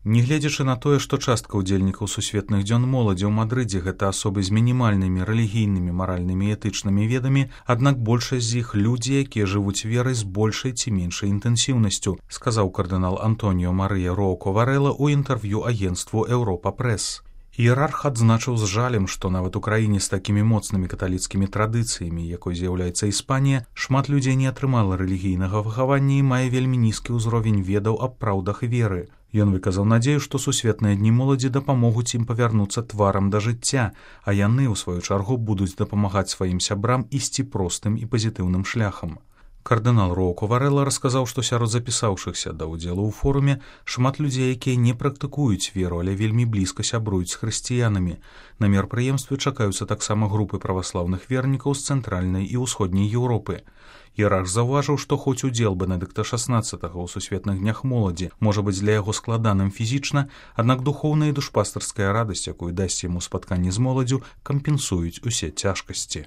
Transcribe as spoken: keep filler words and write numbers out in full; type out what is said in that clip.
Нягледзячы на тое, што частка ўдзельнікаў сусветных дзён моладзі ў Мадрыдзе гэта асобы з мінімальнымі рэлігійнымі, маральнымі і этычнымі ведамі, аднак большасць з іх людзі, якія жывуць верай з большай ці меншай інтэнсіўнасцю, сказаў кардынал Антоніо Марыя Роўко Варэла ў інтэрв'ю агенцтву Еўропа Прэс. Іерарх адзначыў з жалем, што нават у краіне з такімі моцнымі каталіцкімі традыцыямі, якой з'яўляецца Іспанія, шмат людзей не атрымала рэлігійнага выхавання і мае вельмі нізкі ўзровень ведаў аб праўдах веры. Ён выказаў надзею, што сусветныя дні моладзі дапамогуць ім павярнуцца тварам да жыцця, а яны, у сваю чаргу, будуць дапамагаць сваім сябрам ісці простым і пазітыўным шляхам. Кардынал Роўко Варэла расказаў, што сярод запісаўшыхся да ўдзелу ў форуме шмат людзей, якія не практыкуюць веру, але вельмі блізка сябруюць з хрысціянамі. На мерапрыемстве чакаюцца таксама групы праваслаўных вернікаў з цэнтральнай і ўсходняй Еўропы. Іерарх заўважыў, што хоць удзел Бенедыкта шаснаццатага ў сусветных днях моладзі можа быць для яго складаным фізічна, аднак духоўная і душпастарская радасць, якую дасць яму спатканне з моладзю, кампенсуюць усе цяжкасці.